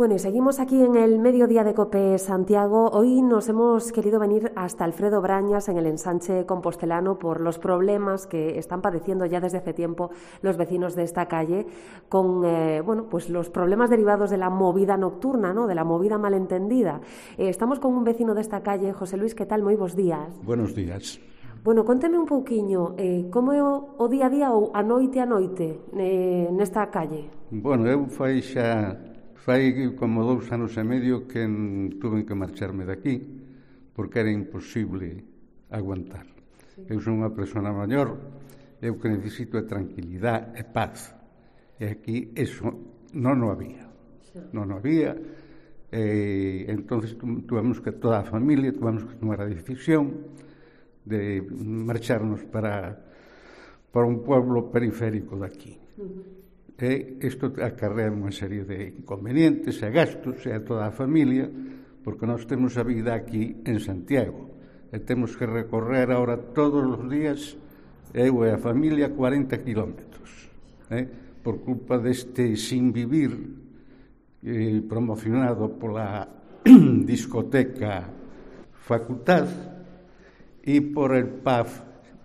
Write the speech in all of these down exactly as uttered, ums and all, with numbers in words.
Bueno, y seguimos aquí en el Mediodía de COPE Santiago. Hoy nos hemos querido venir hasta Alfredo Brañas, en el ensanche compostelano, por los problemas que están padeciendo ya desde hace tiempo los vecinos de esta calle, con eh, bueno, pues los problemas derivados de la movida nocturna, ¿no?, de la movida malentendida. Eh, estamos con un vecino de esta calle. José Luis, ¿qué tal? Moi bos días. Buenos días. Bueno, conteme un pouquiño, eh, como é o, o día a día ou a noite a noite eh, nesta calle? Bueno, eu fai xa fai como dous anos e medio que tuve que marcharme daqui porque era imposible aguantar. Sí. Eu son unha persona maior, eu que necesito é tranquilidade e paz. E aquí eso non o había. Sí. Non o había. E entonces tuvemos que toda a familia tuvemos que tomar a decisión de marcharnos para para un pueblo periférico daqui. Uh-huh. E isto acarrea unha serie de inconvenientes e gastos e a toda a familia, porque nós temos a vida aquí en Santiago e temos que recorrer ahora todos os días, eu e a familia, cuarenta kilómetros, eh, por culpa deste sin vivir eh, promocionado pola discoteca Facultad e por el P A F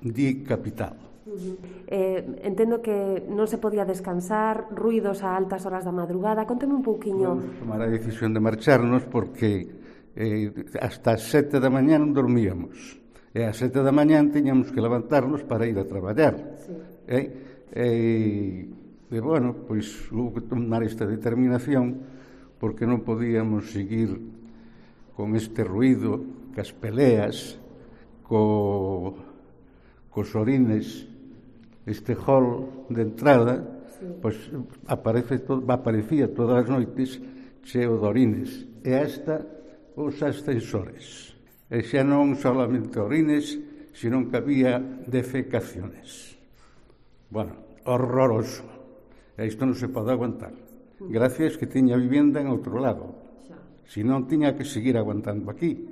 di Capital. Uh-huh. Eh, entendo que non se podía descansar, ruidos a altas horas da madrugada. Conteme un pouquiño. Vamos tomar a decisión de marcharnos porque eh, hasta as sete da mañá non dormíamos. E ás sete da mañá tiñamos que levantarnos para ir a traballar. Sí. Eh, eh, e, bueno, pois hubo que tomar esta determinación porque non podíamos seguir con este ruido, cas peleas, co, cos orines, este hall de entrada, sí. Pois aparece todo, aparecía todas as noites cheo de orines. E esta os ascensores. E xa non solamente orines, sino que había defecaciones. Bueno, horroroso. E isto non se pode aguantar. Gracias que tiña vivenda en outro lado. Si non, tiña que seguir aguantando aquí.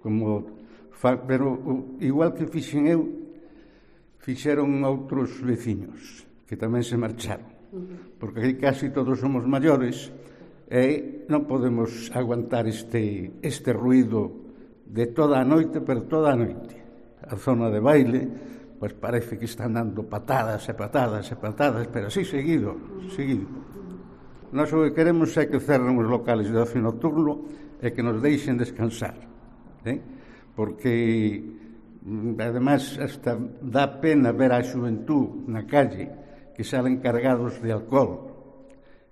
Como, pero igual que fixen eu, fixeron outros veciños que tamén se marcharon, porque aquí casi todos somos maiores e non podemos aguantar este, este ruido de toda a noite, pero toda a noite. A zona de baile, pois parece que están dando patadas e patadas e patadas, pero así seguido, seguido. Nós o que queremos é que cerren os locales de ocio nocturno e que nos deixen descansar, eh? Porque además hasta dá pena ver a xuventud na calle que salen cargados de alcohol,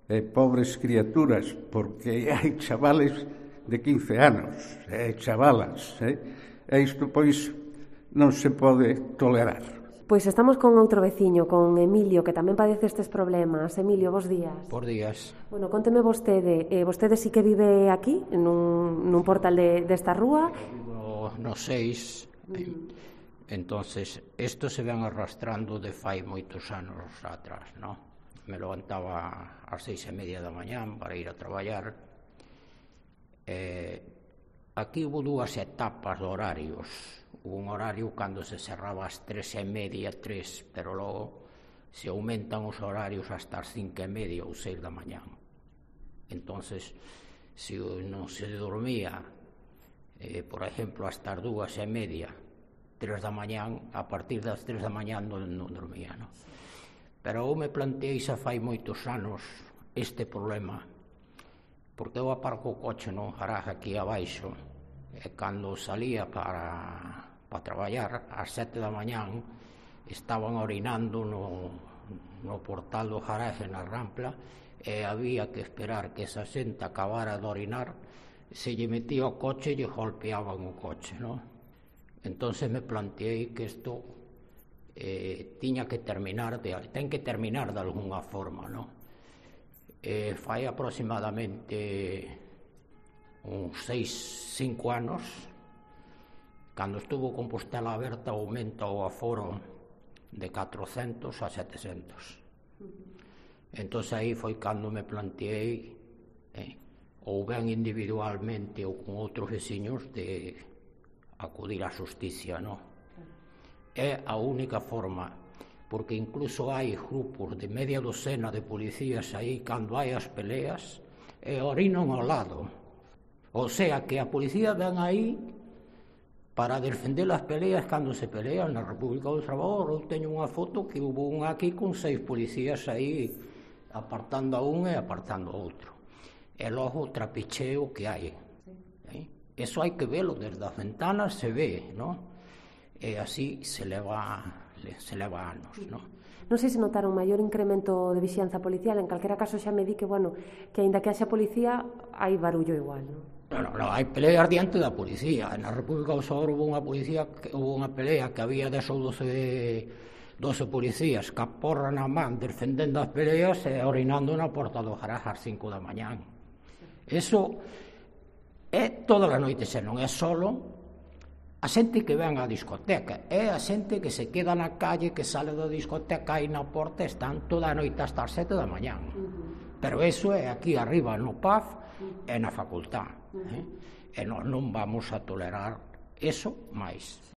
eh, pobres criaturas, porque hai chavales de quince anos, eh, chavalas, eh, e isto pois non se pode tolerar. Pois estamos con outro veciño, con Emilio, que tamén padece estes problemas. Emilio, bos días. Bos días. Bueno, conteme vostede, eh, vostede sí que vive aquí, nun, nun portal de, desta rúa? Vivo no seis. Uh-huh. Entonces, isto se ven arrastrando de fai moitos anos atrás, ¿no? Me levantaba ás seis e media da mañán para ir a traballar. Eh, aquí hubo dúas etapas de horarios. Hubo un horario cando se cerraba ás tres e media, tres, pero logo se aumentan os horarios hasta as cinco e media ou seis da mañán. Entonces, se non se dormía, eh, por exemplo, hasta as dúas e media, tres da mañán, a partir das tres da mañán non, non dormía, no? Pero eu me planteei xa fai moitos anos este problema, porque eu aparco o coche non garaje aquí abaixo, e cando salía para, para traballar, ás sete da mañán, estaban orinando no, no portal do garaje na rampla, e había que esperar que esa xente acabara de orinar, se lle metía o coche e lle golpeaban o coche, non? Entonces me planteei que isto eh, tiña que terminar de, ten que terminar de alguna forma, ¿no? Eh, fai aproximadamente uns seis, cinco anos, cando estuvo Compostela aberta, aumenta o aforo de catrocentos a setecentos. Entonces aí foi cando me planteei, eh, ou ben individualmente ou con outros veciños, de acudir á xusticia, non? É a única forma, porque incluso hai grupos de media docena de policías aí cando hai as peleas e orinan ao lado. O sea, que a policía ven aí para defender as peleas cando se pelean na República do Traballador. Eu teño unha foto que hubo un aquí con seis policías aí apartando a un e apartando a outro. E logo o trapicheo que hai. ¿Eh? Eso hai que velo desde as ventanas, se ve, ¿no? E así se leva, se leva anos, ¿no? Non sei se notaron maior incremento de vixianza policial, en calquera caso xa me di que, bueno, que aínda que haxa policía, hai barullo igual, non? No, no, no, hai peleas diante da policía. Na República do Traballador hubo unha policía, hubo unha pelea que había dez ou doce, doce policías ca porra na man defendendo as peleas e orinando na porta do garaje ás cinco da mañán. Eso é toda a noite, se non é solo a xente que ven á discoteca, é a xente que se queda na calle, que sale da discoteca e na porta están toda a noite hasta as sete da mañán. Pero eso é aquí arriba no P A F e na facultad. Eh? E nós non vamos a tolerar eso máis.